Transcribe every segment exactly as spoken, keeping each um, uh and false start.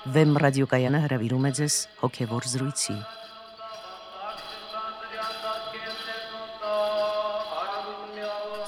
Վեմ ռադիոկայանը հրավիրում է ձեզ հոգևոր զրույցի։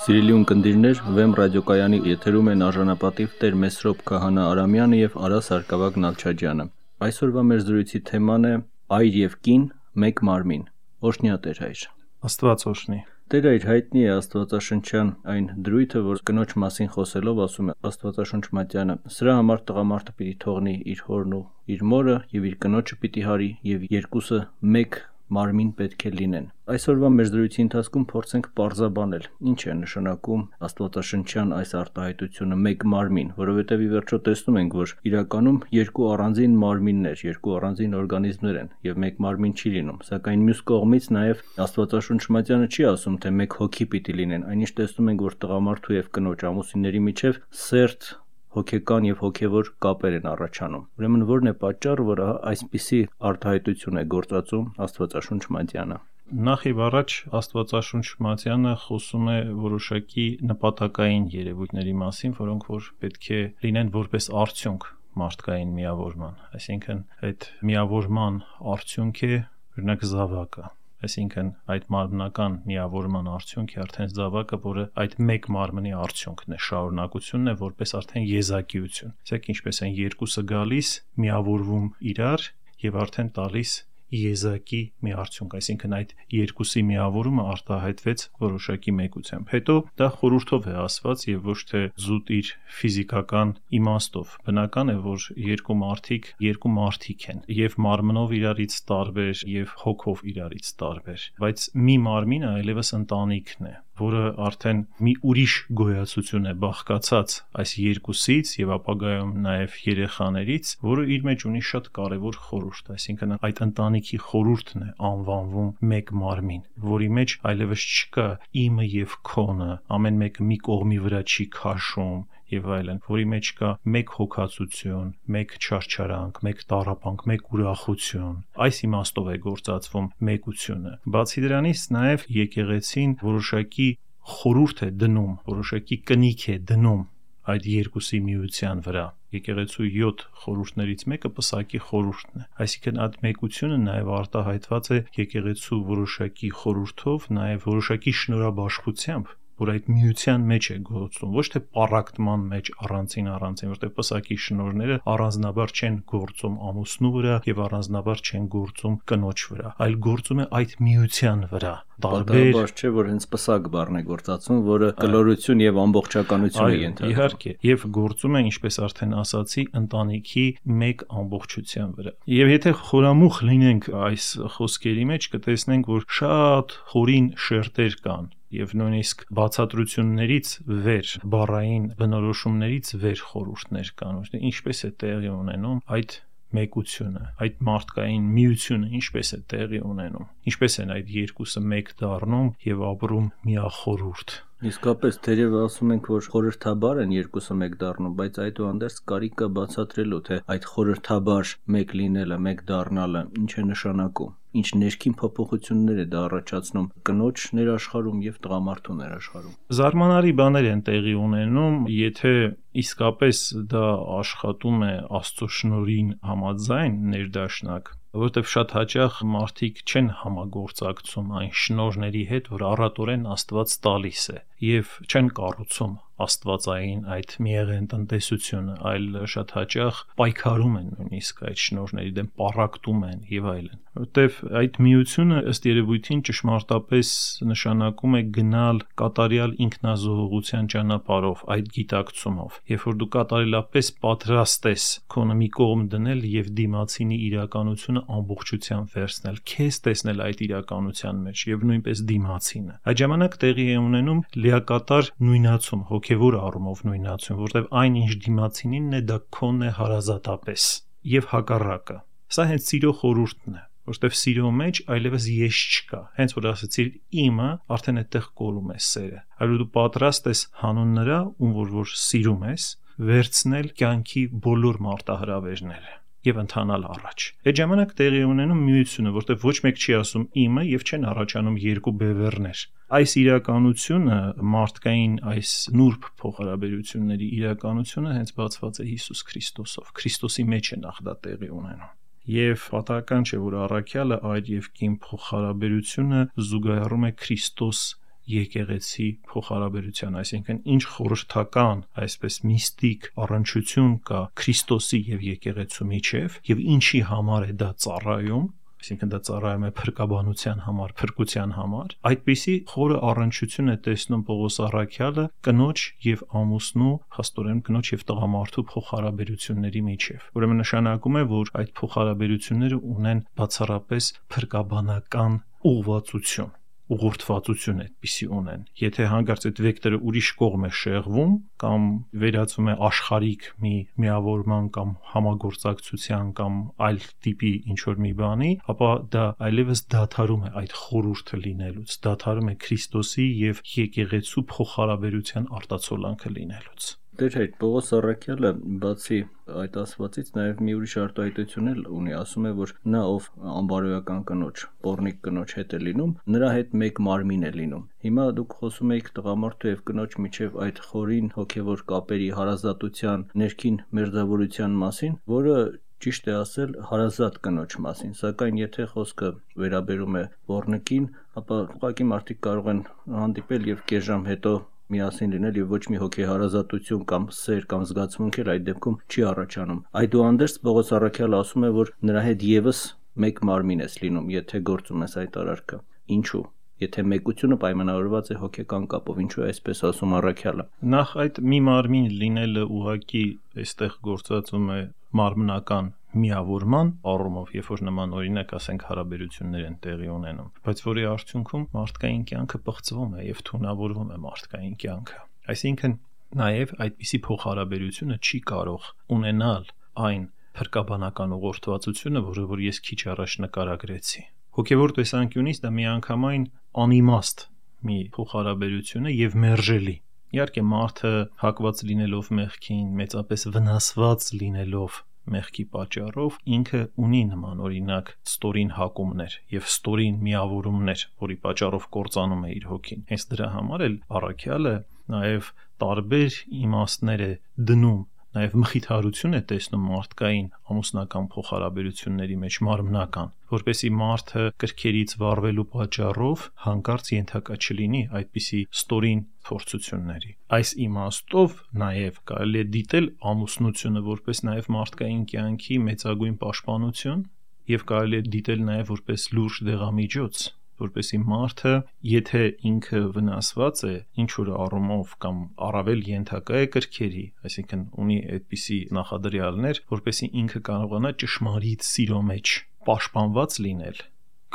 Սիրելի ունկնդիրներ, Վեմ ռադիոկայանի եթերում են արժանապատիվ Տեր Մեսրոպ Քահանա Արամյանը եւ Արա Սարգսակ Նալչաջյանը։ Այսօրվա մեր զրույցի թեման է Այր եւ կին, մեկ մարմին։ Օրհնյա Տեր հայր։ Աստված օրհնի։ Տեր այր հայտնի է աստվածաշնչյան այն դրույթը, որ կնոջ մասին խոսելով ասում է Աստվածաշունչ Մատյանը. սրա համար տղամարդը պիտի թողնի իր հորն ու իր մորը եւ իր կնոջը պիտի հարի եւ երկուսը մեկ մարմին պետք է լինեն։ Այսօրվա մեր զրույցի ընթացքում փորձենք պարզաբանել ինչ է նշանակում աստվածաշնչյան այս արտահայտությունը մեկ մարմին, որովհետև ի վերջո տեսնում ենք, որ իրականում երկու առանձին մարմիններ, երկու առանձին օրգանիզմներ են եւ մեկ մարմին չի լինում, սակայն մյուս կողմից նաեւ Աստվածաշունչ Մատյանը չի ասում, թե մեկ հոգի պիտի լինեն, այնինչ տեսնում ենք, որ տղամարդու եւ կնոջ ամուսինների միջև սերտ հոգեկան եւ հոգեվոր կապեր են առաջանում։ Ուրեմն ո՞րն է պատճառը, որ այսպիսի արտահայտություն է գործածում Աստվածաշունչ Մատյանը։ Նախ եւ առաջ Աստվածաշունչ Մատյանը խոսում է որոշակի նպատակային երևույթների մասին, որոնք որ պետք է լինեն որպես արդյունք մարդկային միավորման, այսինքն այդ միավորման արդյունք է օրինակ զավակը, այսինքն այդ մարմնական միավորման արդյունքի արդեն զավակը, որը այդ մեկ մարմնի արդյունքն է, շարունակությունն է որպես արդեն եզակիություն։ Իսկ ինչպես են երկուսը գալիս, միավորվում իրար եւ արդեն տալիս եզակի մի արդյունք, այսինքն այդ երկուսի միավորումը արտահայտվեց որոշակի մեկությամբ։ Հետո դա խորհրդով է ասված եւ ոչ թե զուտ իր ֆիզիկական իմաստով։ Բնական է, որ երկու մարդիկ երկու մարդիկ են եւ մարմնով իրարից տարբեր եւ հոգով իրարից տարբեր, բայց մի մարմինը այլևս ընտանիքն է, որը արդեն մի ուրիշ գոյացություն է բաղկացած այս երկուսից եւ ապագայում նաեւ երեխաներից, որը իր մեջ ունի շատ կարեւոր խորհուրդ, այսինքն այդ ընտանիքի խորհուրդն է անվանվում մեկ մարմին, որի մեջ այլևս չկա իմը եւ քոնը, ամեն մեկը մի կողմի վրա չի քաշում եւ այլն, որի մեջ կա մեկ հոգացություն, մեկ չարչարանք, մեկ տառապանք, մեկ ուրախություն։ Այս իմաստով է գործածվում մեկությունը։ Բացի դրանից նաեւ եկեղեցին որոշակի խորհուրդ է դնում, որոշակի կնիք է դնում այդ երկուսի միության վրա։ Եկեղեցու յոթ խորհուրդներից մեկը պսակի խորհուրդն է։ Այսինքն այդ մեկությունը նաև արտահայտված է եկեղեցու որոշակի խորհուրդով, նաև որոշակի շնորհաբաշխությամբ, որ այդ միության մեջ է գործում, ոչ թե պառակտման մեջ առանցին առանցին, որտեղ պսակի շնորհները առանձնաբար չեն գործում ամուսնու վրա եւ առանձնաբար չեն գործում կնոջ վրա, այլ գործում է այդ միության վրա։ Տարբեր չէ, որ հենց պսակ բառն է գործածում, որը կլորություն եւ ամբողջականություն է ենթադրում։ Իհարկե, եւ գործում է, ինչպես արդեն ասացի, ընտանիքի մեկ ամբողջության վրա։ Եվ եթե խորամուխ լինենք այս խոսքերի մեջ, կտեսնենք, որ շատ խորին շերտեր կան եւ նույնիսկ բացատրություններից վեր, բառային բնորոշումներից վեր խորհուրդներ կան, ինչպես է տեղի ունենում այդ մեկությունը, այդ մարդկային միությունը ինչպես է տեղի ունենում, ինչպես են այդ երկուսը մեկ դառնում եւ ապրում միախորհուրդ։ Իսկապես թերև ասում ենք, որ խորհրդաբար են երկուսը մեկ դառնում, բայց այդուհանդերձ կարիք կա բացատրելու, թե այդ խորհրդաբար մեկ լինելը, մեկ դառնալը ինչ է նշանակում, ինչ ներքին փոփոխություններ է դա առաջացնում կնոջ ներաշխարհում եւ տղամարդու ներաշխարհում։ Զարմանալի բաներ են տեղի ունենում, եթե իսկապես դա աշխատում է Աստծո շնորհին համաձայն ներդաշնակ, որովհետև շատ հաճախ մարդիկ չեն համագործակցում այն շնորհների հետ, որ առատորեն Աստված տալիս է, եւ չեն կառուցում աստվածային այդ միեղեն տնտեսությունը, այլ շատ հաճախ պայքարում են նույնիսկ այդ շնորհների դեմ, պառակտում են եւ այլն, որովհետև այդ միությունը ըստ երևույթին ճշմարտապես նշանակում է գնալ կատարյալ ինքնազոհողության ճանապարհով, այդ գիտակցումով, երբ որ դու կատարելապես պատրաստ ես քոնը մի կողմ դնել եւ դիմացինի իրականությունը ամբողջությամբ վերցնել, քեզ տեսնել այդ իրականության մեջ եւ նույնպես դիմացինը։ Այդ ժամանակ տեղի է ունենում լիակատար նույնացում, հոգևոր առումով նույնացում, որտեղ այն ինչ դիմացինինն է, դա քոնն է հարազատապես եւ հակառակը։ Սա հենց սիրո խորհուրդն է, որտեղ սիրո մեջ այլևս ես չկա։ Հենց որ ասացիր իմը, արդեն այդտեղ կորում է սերը։ Այլ դու պատրաստ ես հանուն նրա, ում որ որ սիրում ես, վերցնել կյանքի բոլոր մարտահրավերները։ եւ ընթանալ առաջ։ Այդ ժամանակ տեղի ունենում միությունը, որտեղ ոչ մեկ չի ասում իմը եւ չեն առաջանում երկու բևեռներ։ Այս իրականությունը, մարդկային այս նուրբ փոխհարաբերությունների իրականությունը հենց բացված է Հիսուս Քրիստոսով։ Քրիստոսի մեջ է նախ դա տեղի ունենում։ Եվ պատահական չէ, որ առաքյալը այր եւ կին փոխհարաբերությունը զուգահեռում է Քրիստոս եկեղեցի փոխհարաբերության, այսինքն ինչ խորհրդական, այսպես միստիկ առնչություն կա Քրիստոսի եւ եկեղեցու միջև եւ ինչի համար է դա ծառայում, այսինքն դա ծառայում է փրկաբանության համար, փրկության համար, այդպիսի խորը առնչություն է տեսնում Պողոս առաքյալը կնոջ եւ ամուսնու, հաստորեն կնոջ եւ տղամարդու փոխհարաբերությունների միջև։ Ուրեմն նշանակում է, որ այդ փոխհարաբերությունները ունեն բացառապես փրկաբանական ուղղվածություն, ուղղորդվածություն այդպիսի ունեն։ Եթե հանկարծ այդ վեկտորը ուրիշ կողմ է շեղվում կամ վերածվում է աշխարհիկ մի միավորման կամ համագործակցության կամ այլ տիպի ինչ-որ մի բանի, ապա դա այլևս դադարում է այդ խորհուրդը լինելուց, դադարում է Քրիստոսի եւ եկեղեցու փոխհարաբերության արտացոլանքը լինելուց։ Դեր հետ Պողոս առաքյալը բացի այդ ասվածից նաև մի ուրիշ արտահայտություն էլ ունի, ասում է, որ նա ով անբարոյական կնոջ, պոռնիկ կնոջ հետ է լինում, նրա հետ մեկ մարմին է լինում։ Հիմա դուք խոսում եք տղամարդու եւ կնոջ միջև այդ խորին հոգեվոր կապերի հարազատության, ներքին մերձավորության մասին, որը ճիշտ է ասել հարազատ կնոջ մասին, սակայն եթե խոսքը վերաբերում է պոռնիկին, ապա ուղղակի մարդիկ կարող են հանդիպել եւ կես ժամ հետո միասին լինել եւ ոչ մի հոգեհարազատություն կամ սեր կամ զգացմունք էլ այդ դեպքում չի առաջանում։ Այդուհանդերձ Պողոս առաքյալը ասում է, որ նրա հետ եւս մեկ մարմին ես լինում, եթե գործում ես այդ արարքը։ Ինչու՞։ Եթե մեկությունը պայմանավորված է հոգեկան կապով, ինչու է այսպես ասում առաքյալը։ Նախ այդ մի մարմին լինելը ուղղակի այստեղ գործածում է մարմնական միավորման առումով, երբ որ նման օրինակ ասենք հարաբերություններ են տեղի ունենում, բայց որի արդյունքում մարդկային կյանքը պղծվում է եւ թունավորվում է մարդկային կյանքը։ Այսինքն նաեւ այդպիսի փոխհարաբերությունը չի կարող ունենալ այն փրկաբանական ուղղորդվածությունը, որը որ ես քիչ առաջ նկարագրեցի։ Հոգևոր տեսանկյունից դա միանգամայն անիմաստ մի փոխհարաբերություն է եւ մերժելի։ Իհարկե մարդը հակված լինելով մեղքին, մեծապես վնասված լինելով մեղքի պատճառով ինքը ունի նման օրինակ ստորին հակումներ եւ ստորին միավորումներ, որի պատճառով կործանում է իր հոգին։ Հենց դրա համար էլ առաքյալը նաեւ տարբեր իմաստներ է դնում, նաեւ մխիթարություն է տեսնում մարդկային ամուսնական փոխհարաբերությունների մեջ մարմնական, որպեսզի մարդը կրքերից վառվելու պատճառով հանկարծ ենթակա չլինի այդպիսի ստորին փորձությունների։ Այս իմաստով նաեւ կարելի է դիտել ամուսնությունը որպես նաեւ մարդկային կյանքի մեծագույն պաշտպանություն եւ կարելի է դիտել նաեւ որպես լուրջ դեղամիջոց, որպեսզի մարդը, եթե ինքը վնասված է ինչ-որ առումով կամ առավել ենթակա է կրքերի, այսինքն ունի այդպիսի նախադրյալներ, որպեսզի ինքը կարողանա ճշմարիտ սիրո մեջ պաշտպանված լինել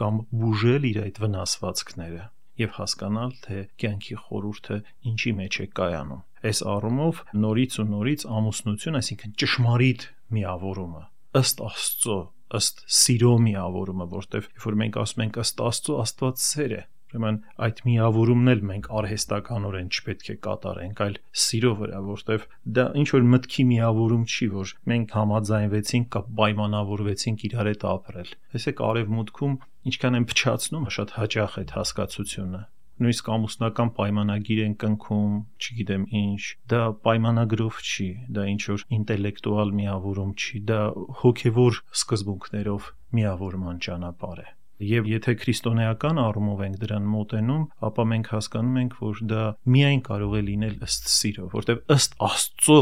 կամ բուժել իր այդ վնասվածքները եւ հասկանալ, թե կյանքի խորհուրդը ինչի մեջ է կայանում։ Այս առումով նորից ու նորից ամուսնություն, այսինքն ճշմարիտ միավորումը, ըստ Աստծո, ըստ սիրո միավորումը, որտեղ երբ որ մենք ասում ենք ըստ Աստծո, Աստված սեր է, ուրեմն այդ միավորումն էլ մենք արհեստականորեն չպետք է կատարենք, այլ սիրո վրա, որտեղ դա ինչ որ մտքի միավորում չի, որ մենք համաձայնվեցինք կամ պայմանավորվեցինք իրար հետ ապրել։ Տեսեք, արևմուտքում ինչքան են փչացնում, շատ հաճախ այդ հասկացությունը։ Նույնիսկ ամուսնական պայմանագիր են կնքում, չգիտեմ ինչ, դա պայմանագրով չի, դա ինչ որ ինտելեկտուալ միավորում չի, դա հոգևոր սկզբունքներով միավորման ճանապարհ է։ Եվ եթե քրիստոնեական առումով ենք դրան մոտենում, ապա մենք հասկանում ենք, որ դա միայն կարող է լինել ըստ սիրո, որտեղ ըստ Աստծո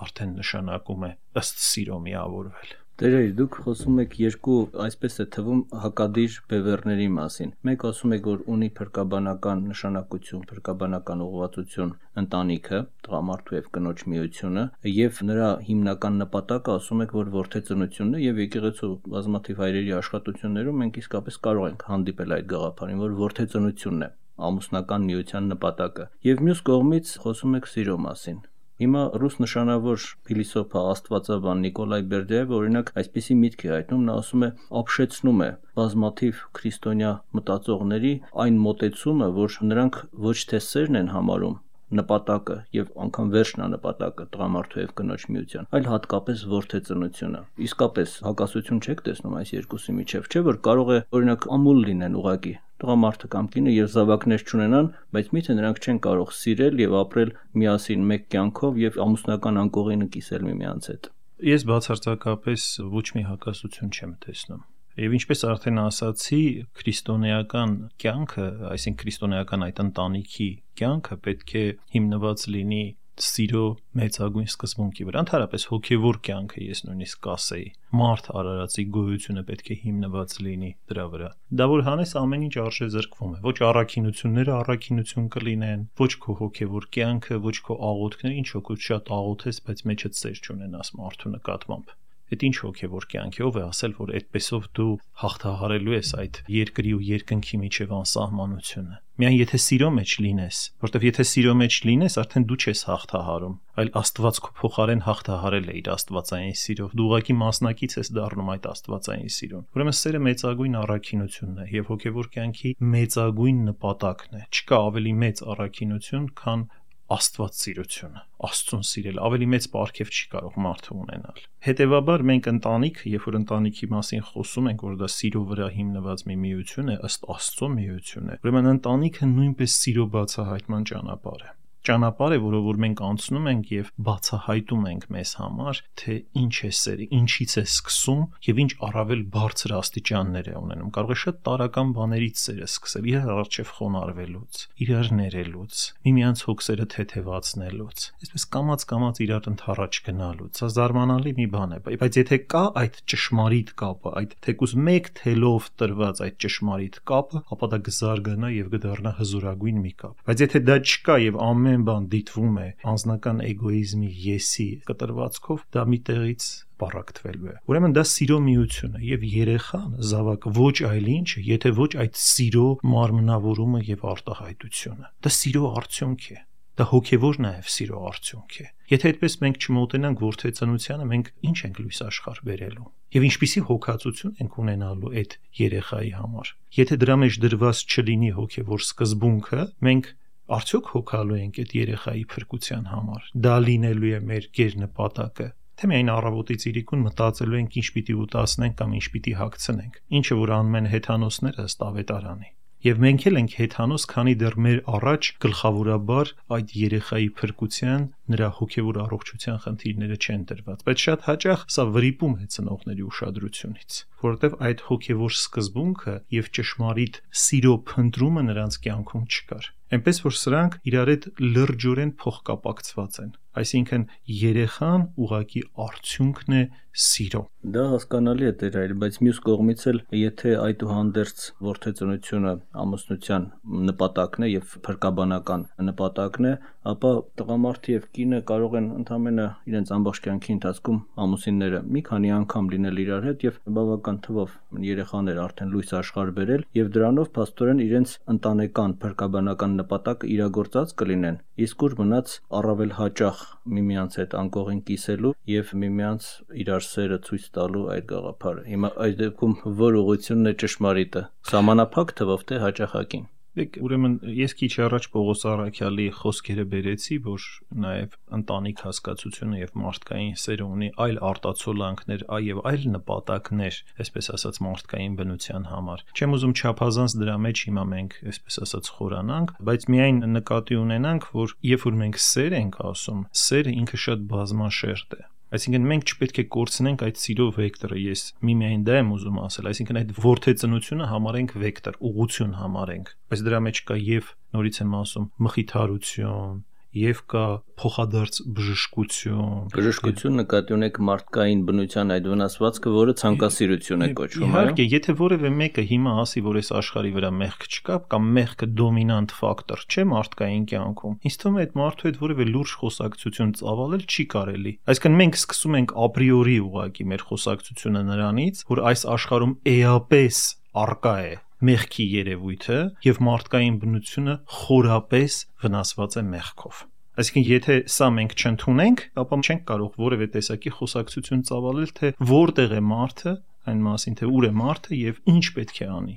արդեն նշանակում է ըստ սիրո միավորվել։ Տերեր, դուք խոսում եք երկու, այսպես է թվում, հակադիր բևեռների մասին։ Մեկ ասում եք, որ ունի փրկաբանական նշանակություն, փրկաբանական ուղղվածություն ընտանիքը, տղամարդու եւ կնոջ միությունը, եւ նրա հիմնական նպատակը ասում եք, որ որդեծնությունն է եւ եկեղեցու բազմաթիվ հայրերի աշխատություններում մենք իսկապես կարող ենք հանդիպել այդ գաղափարին, որ որդեծնությունն է ամուսնական միության նպատակը։ Եվ մյուս կողմից խոսում եք սիրո մասին։ Հիմա ռուս նշանավոր փիլիսոփա աստվածաբան Նիկոլայ Բերդյայևը օրինակ այսպիսի միտք է հայտնում, նա ասում է, ապշեցնում է բազմաթիվ քրիստոնյա մտածողների այն մոտեցումը, որ նրանք ոչ թե սերն են համարում նպատակը եւ անգամ վերջն է նպատակը տղամարդու եւ կնոջ միության, այլ հատկապես որդեծնությունը։ Իսկապես հակասություն չեք տեսնում այս երկուսի միջև, չէ՞ որ կարող է օրինակ ամուլ լինեն ուղակի տղամարդը կամ կինը եւ զավակներ չունենան, բայց միթե նրանք չեն կարող սիրել եւ ապրել միասին մեկ կյանքով եւ ամուսնական անկողինը կիսել միմյանց հետ։ Ես բացարձակապես ոչ մի հակասություն չեմ տեսնում։ Եվ ինչպես արդեն ասացի, քրիստոնեական կյանքը, այսինքն քրիստոնեական այդ ընտանիքի կյանքը պետք է հիմնված լինի սիրո մեծագույն սկզբունքի վրա, ընդհանրապես հոգևոր կյանքը, ես նույնիսկ կասեի, մարդ արարածի գոյությունը պետք է հիմնված լինի դրա վրա։ Դա որ հանես ամեն ինչ արժե զրկվում է, ոչ առաքինությունները առաքինություն կլինեն, ոչ քո հոգևոր կյանքը, ոչ քո աղոթքները, ինչ օգուտ շատ աղոթես, բայց մեջդ սեր չունենաս մարդու նկատմամբ։ Այդ ինչ հոգևոր կյանքի ով է ասել, որ այդպեսով դու հաղթահարելու ես այդ երկրի ու երկնքի միջև անսահմանությունը։ Միայն եթե սիրո մեջ լինես, որտեվ եթե սիրո մեջ լինես, արդեն դու չես հաղթահարում, այլ Աստված քո փոխարեն հաղթահարել է իր աստվածային սիրով։ Դու ուղղակի մասնակից ես դառնում այդ աստվածային սիրուն։ Ուրեմն սերը մեծագույն առաքինությունն է եւ հոգևոր կյանքի մեծագույն նպատակն է։ Չկա ավելի մեծ առաքինություն, քան Աստված սիրությունը, Աստծուն սիրել, ավելի մեծ պարգև չի կարող մարդը ունենալ։ Հետևաբար մենք ընտանիքը, երբ որ ընտանիքի մասին խոսում ենք, որ դա սիրո վրա հիմնված մի միություն է, ըստ Աստծո միություն է, ուրեմն ընտանիքը նույնպես սիրո բացահայտման ճանապարհ է։ Ճանապարհ է, որով որ մենք անցնում ենք եւ բացահայտում ենք մեզ համար, թե ինչ է սերը, ինչից է սկսում եւ ինչ առավել բարձր աստիճաններ է ունենում։ Կարող է շատ տարական բաներից սերը սկսել, իրար առջև խոնարհվելուց, իրար ներելուց, միմյանց հոգսերը թեթևացնելուց, այսպես կամած-կամած իրար ընթառաջ գնալուց։ Սա զարմանալի մի բան է, բայց եթե կա այդ ճշմարիտ կապը, այդ թեկուզ մեկ թելով տրված այդ ճշմարիտ կապը, ապա դա կզարգանա եւ կդառնա հզորագույն մի կապ։ Բայց եթե դա չկա եւ ամեն բան դիտվում է անձնական էգոիզմի եսի կտրվածքով, դա մի տեղից պարակտվելու է։ Ուրեմն դա սիրո միություն է եւ երեխան, զավակը ոչ այլ ինչ է, եթե ոչ այդ սիրո մարմնավորումը եւ արտահայտությունը։ Դա սիրո արդյունք է։ Դա հոգևոր նաեւ սիրո արդյունք է։ Եթե այդպես մենք չմոտենանք որդեծանությանը, մենք ինչ ենք լույս աշխարհ բերելու։ Եվ ինչպիսի հոգացություն ենք ունենալու այդ երեխայի համար։ Եթե դրա մեջ դրված չլինի հոգևոր սկզբունքը, մենք արդյոք հոգալու ենք այդ երեխայի փրկության համար։ Դա լինելու է մեր գերնպատակը։ Թե միայն առավոտից իրիկուն մտածելու ենք ինչ պիտի ուտասնենք կամ ինչ պիտի հագցնենք, ինչը որ անում են հեթանոսները ըստ ավետարանի։ Եվ մենք էլ ենք հեթանոս, քանի դեռ մեր առաջ գլխավորաբար այդ երեխայի փրկության, նրա հոգևոր առողջության խնդիրները չեն դրված, բայց շատ հաճախ սա վրիպում է ծնողների ուշադրությունից, որովհետև այդ հոգևոր սկզբունքը եւ ճշմարիտ սիրո փնտրումը նրանց կյանքում չկար։ Այնպես որ սրանք իրար հետ լրջորեն փոխկապակցված են, այսինքն երեխան ուղակի արդյունքն է սիրո։ Դա հասկանալի է Տեր այլ, բայց մյուս կողմից էլ եթե այդուհանդերձ որդեծնությունը ամուսնության նպատակն է եւ փրկաբանական նպատակն է, ապա տղամարդը եւ կինը կարող են ընդամենը իրենց ամբողջ կյանքի ընթացքում ամուսինները մի քանի անգամ լինել իրար հետ եւ բավական թվով երեխաներ արդեն լույս աշխարհ բերել եւ դրանով փաստորեն իրենց ընտանեկան փրկաբանական նպատակը իրագործած կլինեն, իսկ ուր մնաց առավել հաճախ միմյանց հետ անկողին կիսելու եւ միմյանց իրար սերը ցույց տալու այդ գաղափարը։ Հիմա այս դեպքում որ ուղղությունն է ճշմարիտը, սահմանափակ թվով թե հաճախակին։ Դեք ուրեմն ես քիչ առաջ Պողոս Առաքյալի խոսքերը բերեցի, որ նաև ընտանիք հասկացությունը եւ մարդկային սերը ունի այլ արտացոլանքներ, այ այլ նպատակներ, այսպես ասած մարդկային բնության համար։ Չեմ ուզում չափազանց դրա մեջ հիմա մենք, այսպես ասած, խորանանք, բայց միայն նկատի ունենանք, որ երբ որ մենք սեր ենք ասում, սերը ինքը շատ բազմաշերտ է։ Այսինքն մենք չպետք է կորցնենք այդ սիրո վեկտորը, ես միմիայն դա եմ ուզում ասել, այսինքն այդ որդեծնությունը համարենք վեկտոր, ուղղություն համարենք, բայց դրա մեջ կա եւ նորից եմ ասում մխիթարություն, եւ կա փոխադարձ բժշկություն։ Բժշկություն նկատի ունեք մարդկային բնության այդ վնասվածքը, որը ցանկասիրություն է կոչվում, այո։ Իհարկե, եթե որևէ մեկը հիմա ասի, որ այս աշխարհի վրա մեղք չկա, կամ մեղքը դոմինանտ ֆակտոր չէ մարդկային կյանքում, ինձ թվում է այդ մարդու հետ որևէ լուրջ խոսակցություն ծավալել չի կարելի։ Այսինքն մենք սկսում ենք ապրիորի ուղղակի մեր խոսակցությունը նրանից, որ այս աշխարհում էապես արկա է մեղքի երևույթը եւ մարդկային բնությունը խորապես վնասված է մեղքով։ Այսինքն եթե սա մենք չընդունենք, ապա չենք կարող որևէ տեսակի խոսակցություն ծավալել, թե որտեղ է մարդը, այն մասին թե ուր է մարդը եւ ինչ պետք է անի,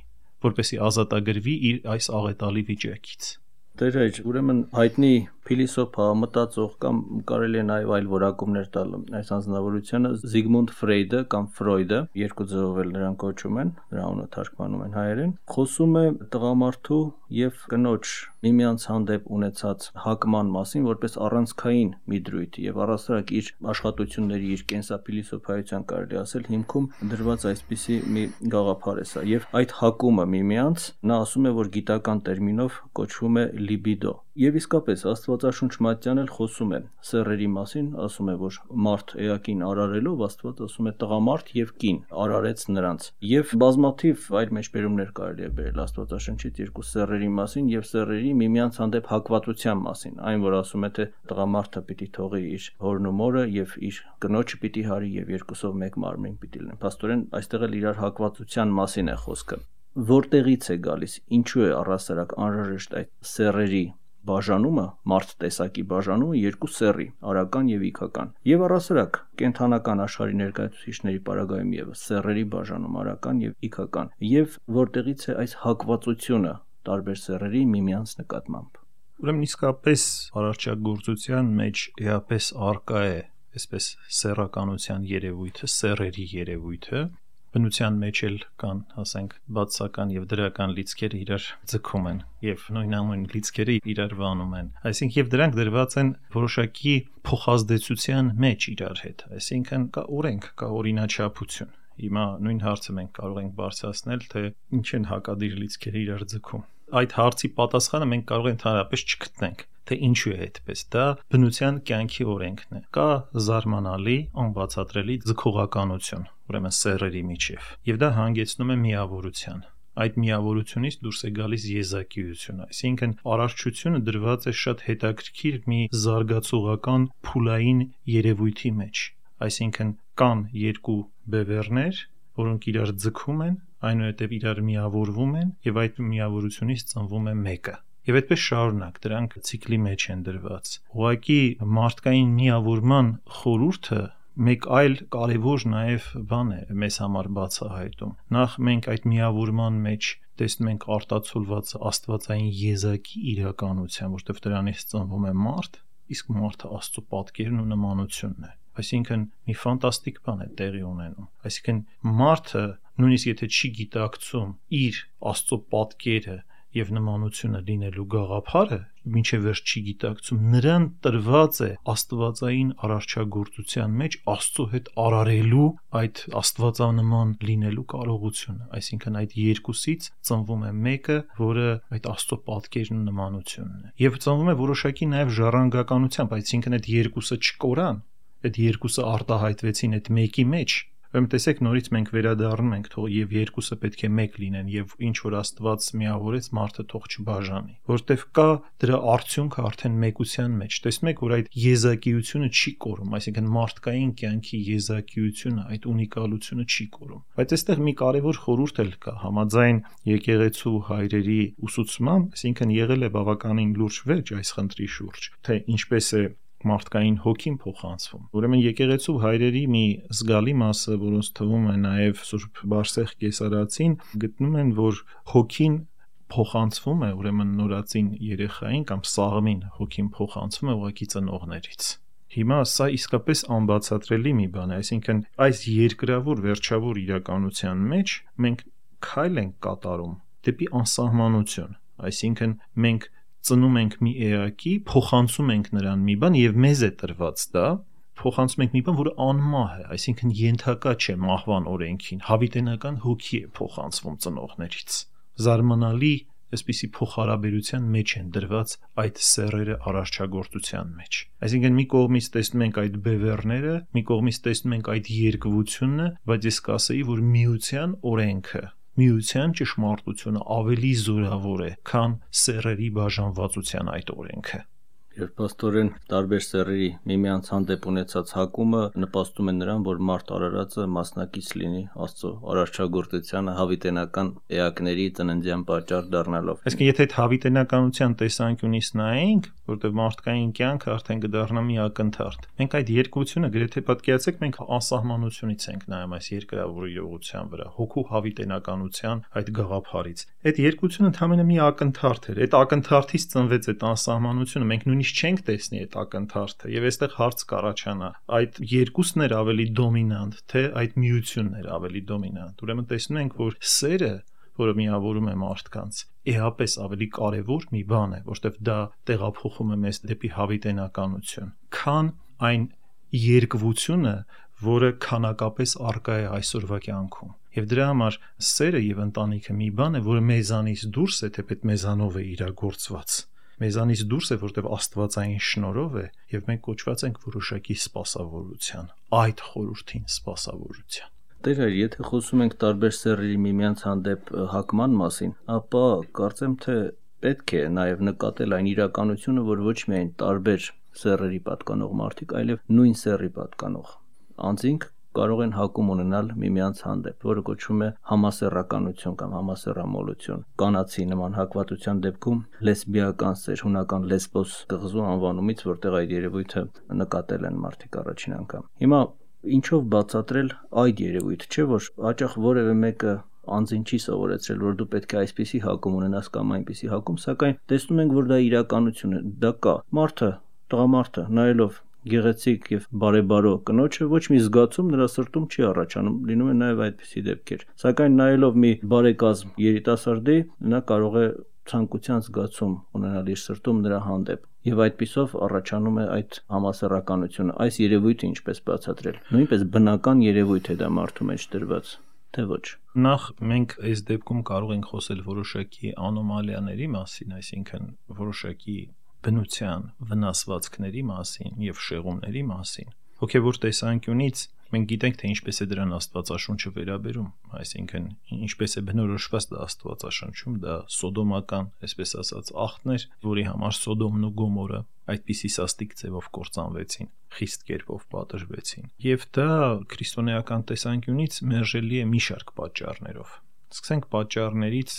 որպեսզի ազատագրվի իր այս աղետալի վիճակից։ Տեր այր, ուրեմն հայտնի Փիլիսոփա, մտածող կամ կարելի է նաև այլ որակումներ տալ այս անձնավորությանը Զիգմունդ Ֆրեյդը կամ Ֆրոյդը, երկու ձևով էլ նրան կոչում են, դրա անունը թարգմանում են հայերեն, խոսում է տղամարդու եւ կնոջ միմյանց հանդեպ ունեցած հակման մասին որպես առանցքային մի դրույթ եւ առասարակ իր աշխատությունների, իր կենսափիլիսոփայության կարելի ասել հիմքում դրված այսպիսի մի գաղափար է սա եւ այդ հակումը միմյանց նա ասում է որ գիտական տերմինով կոչվում է լիբիդո եւ իսկապես Աստվածաշունչ Մատթեան էլ խոսում է սեռերի մասին, ասում է որ մարդ էակին արարելով Աստված ասում է տղամարդ եւ կին արարեց նրանց եւ բազմաթիվ այլ մեջբերումներ կարելի է բերել Աստվածաշնչից երկու սեռերի մասին եւ սեռերի միմյանց հանդեպ հակվածության մասին, այն որ ասում է թե տղամարդը պիտի թողի իր հորն ու մորը եւ իր կնոջը պիտի հարի եւ երկուսով մեկ մարմին պիտի լինեն։ Փաստորեն այստեղ էլ իրար հակվածության մասին է խոսքը։ Որտեղից է գալիս, ինչու է առասարակ անհրաժեշտ այդ սեռերի բաժանումը, մարդ տեսակի բաժանումը երկու սեռի, արական եւ իքական։ Եվ առասարակ կենթանական աշխարհի ներկայացուցիչների պարագայում եւս սեռերի բաժանում արական եւ իքական։ Եվ որտեղից է այս հակվածությունը տարբեր սեռերի միմյանց նկատմամբ։ Ուրեմն իսկապես արարչագործության մեջ էապես արկա է այսպես սեռականության երևույթը, սեռերի երևույթը։ Բնության մեջ էլ կան, ասենք, բացական եւ դրական լիցքերը իրար ձգում են եւ նույնանուն լիցքերը իրար վանում են։ Այսինքն եւ դրանք դրված են որոշակի փոխազդեցության մեջ իրար հետ։ Այսինքն կա օրենք, կա օրինաչափություն։ Հիմա նույն հարցը մենք կարող ենք բարձրացնել, թե ինչ են հակադիր լիցքերը իրար ձգում։ Այդ հարցի պատասխանը մենք կարող ենք ընդհանրապես չգտնենք, թե ինչու է այդպես։ Դա բնության կյանքի օրենքն է։ Կա զարմանալի, անբացատրելի ձգողականություն, ուրեմն սեռերի միջև, եւ դա հանգեցնում է միավորության։ Այդ միավորությունից դուրս է գալիս եզակիություն, այսինքն արարչությունը դրված է շատ հետաքրքիր մի զարգացողական փուլային երևույթի մեջ, այսինքն կան երկու բևեռներ, որոնք իրար ձգում են, այնուհետև իրար միավորվում են եւ այդ միավորությունից ծնվում է մեկը։ Եվ այդպես շարունակ, դրանք ցիկլի մեջ են դրված։ Ուղղակի մարդկային միավորման խորհուրդը մեկ այլ կարևոր նաև բան է մեզ համար բացահայտում։ Նախ մենք այդ միավորման մեջ տեսնում ենք արտացոլված աստվածային եզակի իրականության, որտեղ դրանից ծնվում է մարդ, իսկ մարդը Աստծո պատկերն ու նմանությունն է։ Այսինքն մի ֆանտաստիկ բան է տեղի ունենում։ Այսինքն մարդը նույնիսկ եթե չի գիտակցում իր Աստծո պատկերը եւ նմանությունը լինելու գաղափարը, մինչև վերջ չի գիտակցում, նրան տրված է աստվածային արարչագործության մեջ Աստծո հետ արարելու այդ աստվածանման լինելու կարողությունը, այսինքն այդ երկուսից ծնվում է մեկը, որը այդ Աստծո պատկերն ու նմանությունն է։ Եվ ծնվում է որոշակի նաև ժառանգականությամբ, այսինքն այդ երկուսը չկորան, այդ երկուսը արտահայտվեցին այդ մեկի մեջ։ Ուրեմն տեսեք նորից մենք վերադառնում ենք, թող եւ երկուսը պետք է մեկ լինեն եւ ինչ որ Աստված միավորեց, մարդը թող չբաժանի, որտեվ կա դրա արդյունքը արդեն մեկության մեջ։ Տեսնում եք, որ այդ եզակիությունը չի կորում, այսինքն մարդկային կյանքի եզակիությունը, այդ ունիկալությունը չի կորում։ Բայց այստեղ մի կարևոր խորհուրդ էլ կա, համաձայն եկեղեցու հայրերի ուսուցման, այսինքն եղել է բավականին լուրջ վերջ այս խնդրի շուրջ, թե ինչպես է մարդկային հոգին փոխանցվում։ Ուրեմն եկեղեցու հայրերի մի զգալի մասը, որոնց թվում է նաև Սուրբ Բարսեղ Կեսարացին, գտնում են, որ հոգին փոխանցվում է, ուրեմն նորածին երեխային կամ սաղմին հոգին փոխանցվում է ուղղակի ծնողներից։ Հիմա սա իսկապես անբացատրելի մի բան է, այսինքն այս երկրավոր վերջավոր իրականության մեջ մենք քայլ ենք կատարում դեպի անսահմանություն, այսինքն մենք ծնում ենք մի էակի, փոխանցում ենք նրան մի բան եւ մեզ է տրված դա, փոխանցում ենք մի բան, որը անմահ է, այսինքն ենթակա չէ մահվան օրենքին, հավիտենական հոգի է փոխանցվում ծնողներից։ Զարմանալի այսպիսի փոխհարաբերության մեջ են դրված այդ սեռերը արարչագործության մեջ։ Այսինքն մի կողմից տեսնում ենք այդ բևեռները, մի կողմից տեսնում ենք այդ երկվությունը, բայց ես կասեի, որ միության օրենքը միության ճշմարտությունը ավելի զորավոր է, քան սեռերի բաժանվածության այդ օրենքը։ Երբ պաստորեն տարբեր սեռերի միմյանց հանդեպ ունեցած հակումը նպաստում է նրան, որ մարդ արարածը մասնակից լինի Աստծո արարչագործությանը հավիտենական էակների ծննդյան պատճառ դառնալով։ Այսինքն եթե այդ հավիտենականության տեսանկյունից նայենք, որտեղ մարդկային կյանքը արդեն կդառնա մի ակնթարթ, մենք այդ երկությունը գրեթե պատկերացեք մենք անսահմանությունից ենք նայում այս երկրավոր իրողության վրա, հոգու հավիտենականության այդ գաղափարից։ Այդ երկությունը ընդհանրապես մի ակնթարթ էր։ Այդ ակնթարթից ծնվեց այդ անսահմանությունը, մենք նույնիսկ միշտ չենք տեսնի այդ ակնթարթը եւ այստեղ հարց կառաջանա այդ երկուսն էր ավելի դոմինանտ թե այդ միությունն էր ավելի դոմինանտ ուրեմն տեսնում ենք որ սերը որը միավորում է մարդկանց էապես ավելի կարևոր մի բան է որովհետեւ դա տեղափոխում է մեզ դեպի հավիտենականություն քան այն երկվությունը որը քանակապես արկա է այսօրվա կյանքում եւ դրա համար սերը եւ ընտանիքը մի բան է որը մեզանից դուրս է թեպետ մեզանով է իրագործված մեզանից դուրս է որտեվ աստվածային շնորհով է եւ մենք կոչված ենք որոշակի սպասավորության այդ խորհրդին սպասավորության Տեր հայր, եթե խոսում ենք տարբեր սեռերի միմյանց հանդեպ հակման մասին, ապա կարծեմ թե պետք է նաև նկատել այն իրականությունը, որ ոչ միայն տարբեր սեռերի պատկանող մարդիկ, այլև նույն սեռի պատկանող անձինք կարող են հակում ունենալ միմյանց հանդեպ, որը կոչվում է համասեռականություն կամ համասեռամոլություն։ Կանացի նման հակվածության դեպքում լեսբիական սեր, հունական լեսբոս կղզու անվանումից, որտեղ այդ երևույթը նկատել են մարդիկ առաջին անգամ։ Հիմա Ինչով բացատրել այդ երևույթը, չէ՞ որ հաճախ որևէ մեկը անձին չի սովորեցրել, որ դու պետք է այսպիսի հակում ունենաս կամ այնպիսի հակում, սակայն տեսնում ենք, որ դա իրականություն է, դա կա։ Մարդը, տղամարդը, նայելով գեղեցիկ եւ բարեբարո կնոջը ոչ մի զգացում նրա սրտում չի առաջանում, լինում է նաեւ այդպիսի դեպքեր։ Սակայն նայելով մի բարեկազմ երիտասարդի, նա կարող է ցանկության զգացում ունենալ իր սրտում նրա հանդեպ եւ այդպիսով առաջանում է այդ համասեռականությունը այս երևույթը ինչպես բացատրել նույնպես բնական երևույթ է դա մարդու մեջ դրված թե ոչ նախ մենք այս դեպքում կարող ենք խոսել որոշակի անոմալիաների մասին այսինքն որոշակի բնության վնասվածքների մասին եւ շեղումների մասին հոգեվոր տեսանկյունից մենք գիտենք թե ինչպես է դրան Աստվածաշունչը վերաբերում, այսինքն ինչպես է բնորոշված դա Աստվածաշնչում, դա սոդոմական, այսպես ասած, աղթն էր, որի համար Սոդոմն ու Գոմորը այդպիսի սաստիկ ձևով կործանվեցին, խիստ կերպով պատժվեցին։ Եվ դա քրիստոնեական տեսանկյունից մերժելի է մի շարք պատճառներով։ Սկսենք պատճառներից,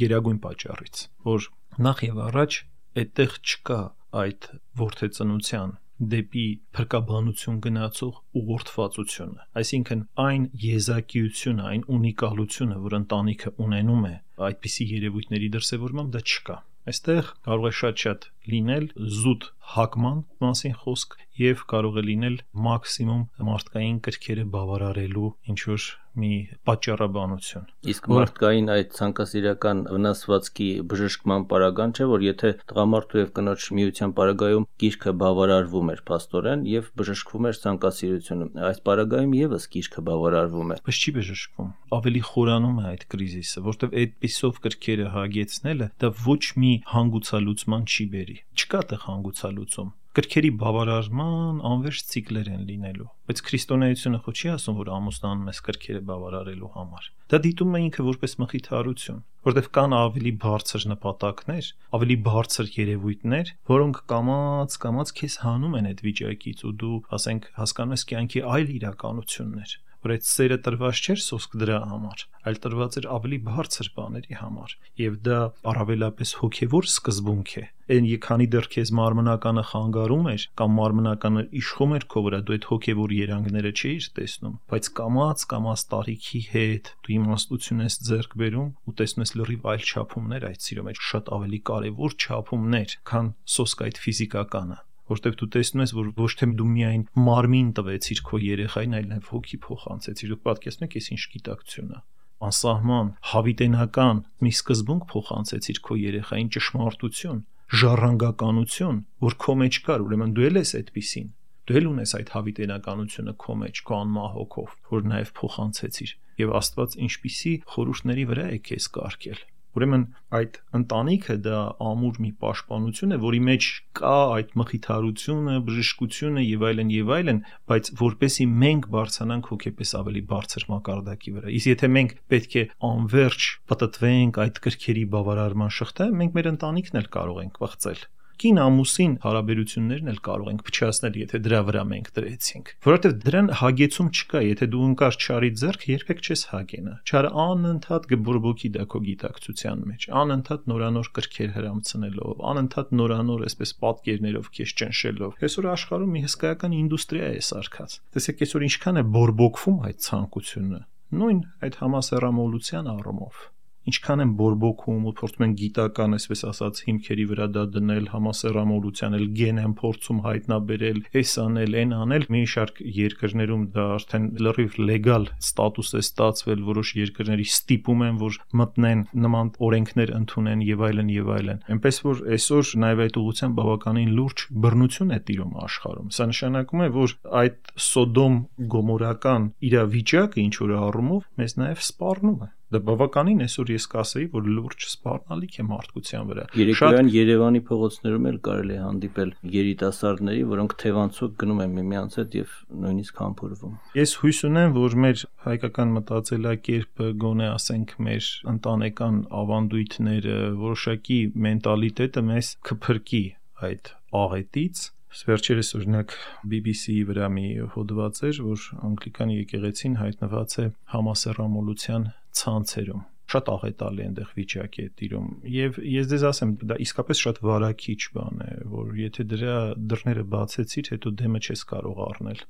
գերագույն պատճառից, որ նախ եւ առաջ այդտեղ չկա այդ որդեծնության դեպի փրկաբանություն գնացող ուղղորդվածությունը, այսինքն այն եզակիությունը, այն ունիկալությունը, որ ընտանիքը ունենում է այդպիսի երևույթների դրսևորմամբ դա չկա։ Այստեղ կարող է շատ-շատ լինել զուտ հակման մասին խոսք եւ կարող է լինել մաքսիմում մարդկային կրքերը բավարարելու ինչ-որ մի պատճառաբանություն։ Իսկ մարդկային այդ ցանկասիրական վնասվածքի բժշկման պարագան չէ, որ եթե տղամարդու եւ կնոջ միության պարագայում գիրքը բավարարվում էր փաստորեն եւ բժշկվում էր ցանկասիրությունը, այս պարագայում եւս գիրքը բավարարվում է։ Բայց չի բժշկվում։ Ավելի խորանում է այդ կրիզիսը, որտեղ այդպիսով կրքերը հագեցնելը դա ոչ մի հանգուցալուծման չի բերի։ Չկա տեղ հանգուցալուծում։ Կրքերի բավարարման անվերջ ցիկլեր են լինելու, բայց քրիստոնեությունը ხო չի ասում, որ ամուսնանում ես կրքերը բավարարելու համար։ Դա դիտում է ինքը որպես մխիթարություն, որտեղ կան ավելի բարձր նպատակներ, ավելի բարձր երևույթներ, որոնք կամաց-կամաց քեզ հանում են այդ վիճակից ու դու, ասենք, հասկանում ես կյանքի այլ իրականություններ, որ այդ սերը տրված չէր սոսկ դրա համար, այլ տրված էր ավելի բարձր բաների համար, եւ դա առավելապես հոգեվոր սկզբունք է։ Այն քանի դեռ քեզ մարմնականը խանգարում էր կամ մարմնականը իշխում էր քո վրա, դու այդ հոգեվոր երանգները չէիր տեսնում, բայց կամաց-կամաց տարիքի հետ դու իմաստություն ես ձեռք բերում ու տեսնում ես լրիվ այլ չափումներ այդ սիրո մեջ, շատ ավելի կարևոր չափումներ, քան սոսկ այդ ֆիզիկականը։ Որտեղ դու տեսնում ես, որ ոչ թե դու միայն մարմին տվեցիր քո երեխային, այլ նաև հոգի փոխանցեցիր։ Դու պատկերացնում ես ինչ գիտակցություն է։ Անսահման, հավիտենական մի սկզբունք փոխանցեցիր քո երեխային ճշմարտություն, ժառանգականություն, որ քո մեջ կար, ուրեմն դու էլ ես այդպիսին։ Դու էլ ունես այդ հավիտենականությունը քո մեջ, քո անմահ հոգով, որ նաև փոխանցեցիր։ Եվ Աստված ինչպիսի խորհուրդների վրա է քեզ կարգել։ Ուրեմն այդ ընտանիքը դա ամուր մի պաշտպանություն է, որի մեջ կա այդ մխիթարությունը, բժշկությունը եւ այլն եւ այլն, բայց որպեսի մենք բարձրանանք հոգեպես ավելի բարձր մակարդակի վրա։ Իսկ եթե մենք պետք է անverջ պատտվենք այդ կրքերի բավարարման շղթայում, մենք մեր ընտանիքն էլ կարող ենք վախծել։ Կին ամուսին հարաբերություններն էլ կարող ենք փչացնել, եթե դրա վրա մենք դրեցինք, որովհետև դրան հագեցում չկա, եթե դու ընկար չարի ձեռք, երբեք չես հագենա։ Չարը անընդհատ կբորբոքի դա քո գիտակցության մեջ, անընդհատ նորանոր կրքեր հրամցնելով, անընդհատ նորանոր այսպես պատկերներով քեզ ճնշելով։ Այսօր աշխարհում մի հսկայական ինդուստրիա է սարքած։ Տեսեք, այսօր ինչքան է բորբոքվում այդ ցանկությունը, նույն այդ համասեռամոլության առումով։ ինչքան են բորբոքում ու փորձում են գիտական, այսպես ասած, հիմքերի վրա դա դնել, համասեռամոլության էլ գեն են փորձում հայտնաբերել, այս անել, այն անել, մի շարք երկրներում դա արդեն լրիվ լեգալ ստատուս է ստացվել, որոշ երկրների ստիպում են, որ մտնեն նման օրենքներ ընդունեն եւ այլն եւ այլն։ Այնպես որ այսօր նաեւ այդ ուղղությամբ բավականին լուրջ բռնություն է տիրում աշխարհում։ Սա նշանակում է, որ այդ Սոդոմ Գոմորական իրավիճակը ինչ որ առումով մեզ նաեւ սպառնում է։ Դա բավականին այսօր ես կասեի, որ լուրջ սպառնալիք է մարդկության վրա։ Երեկոյան Երևանի փողոցներում էլ կարելի է հանդիպել երիտասարդների, որոնք թևանցուկ գնում են միմյանց հետ եւ նույնիսկ համբուրվում։ Ես հույս ունեմ, որ մեր հայկական մտածելակերպը, գոնե ասենք մեր ընտանեկան ավանդույթները, որոշակի մենտալիտետը մեզ կփրկի այդ աղետից։ Վերջերս օրինակ B B C-ի վրա մի հոդված էր, որ անգլիկան եկեղեցին հայտնված է համասեռամոլության ցանցերում։ Շատ աղետալի այնտեղ վիճակ է տիրում եւ ես դες ասեմ, դա իսկապես շատ վարակիչ բան է, որ եթե դրա դռները բացեցիր, հետո դեմը չես կարող առնել։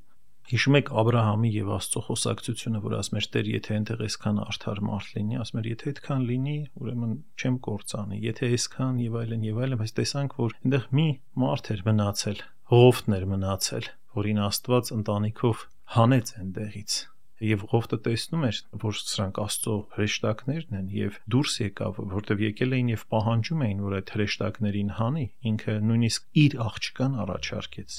Հիշում եք Աբրահամի եւ Աստծո խոսակցությունը, որ ասում էր Տեր, եթե այնտեղ այսքան արդար մարդ լինի, ասում էր, եթե այդքան լինի, ուրեմն չեմ կործանի, եթե այսքան եւ այլն եւ այլն, բայց տեսանք, որ այնտեղ մի մարդ էր մնացել, Ղովտն էր մնացել, որին Աստված ընտանիքով հանեց այնտեղից։ Եվ Ղովտը տեսնում էր, որ սրանք Աստծո հրեշտակներն են եւ դուրս եկավ, որտեվ եկել էին եւ պահանջում էին, որ այդ հրեշտակներին հանի, ինքը նույնիսկ իր աղջկան առաջարկեց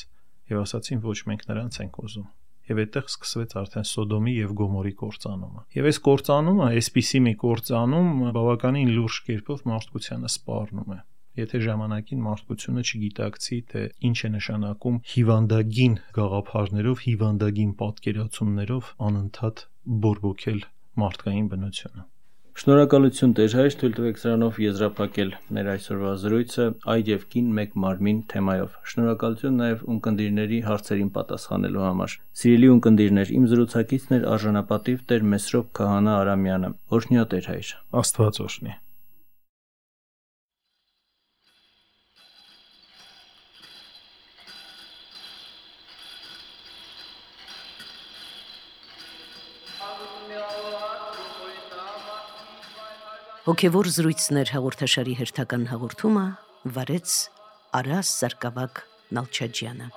եւ ասացին, ոչ, մենք նրանց ենք ուզում։ Եվ այդտեղ սկսվեց արդեն Սոդոմի եւ Գոմորի կործանումը։ Եվ այս կործանումը, այսպիսի մի կործանում բավականին լուրջ կերպով մարդկությանը սպառնում է։ Եթե ժամանակին մարդկությունը չգիտակցի, թե ինչ է նշանակում հիվանդագին գաղափարներով, հիվանդագին պատկերացումներով անընդհատ բորբոքել մարդկային բնությունը։ Շնորհակալություն Տեր հայր, թույլ տվեք սրանով եզրափակել մեր այսօրվա զրույցը այր եւ կին մեկ մարմին թեմայով։ Շնորհակալություն նաեւ ունկնդիրների հարցերին պատասխանելու համար։ Սիրելի ունկնդիրներ, իմ զրուցակիցն էր արժանապատիվ Տեր Մեսրոպ Քահանա Արամյանը։ Օրհնյա Տեր հայր։ Աստված օրհնի։ Հոգևոր զրույցներ հաղորդաշարի հերթական հաղորդումը վարեց Արաս Սարգսակ Նալչաջյանը։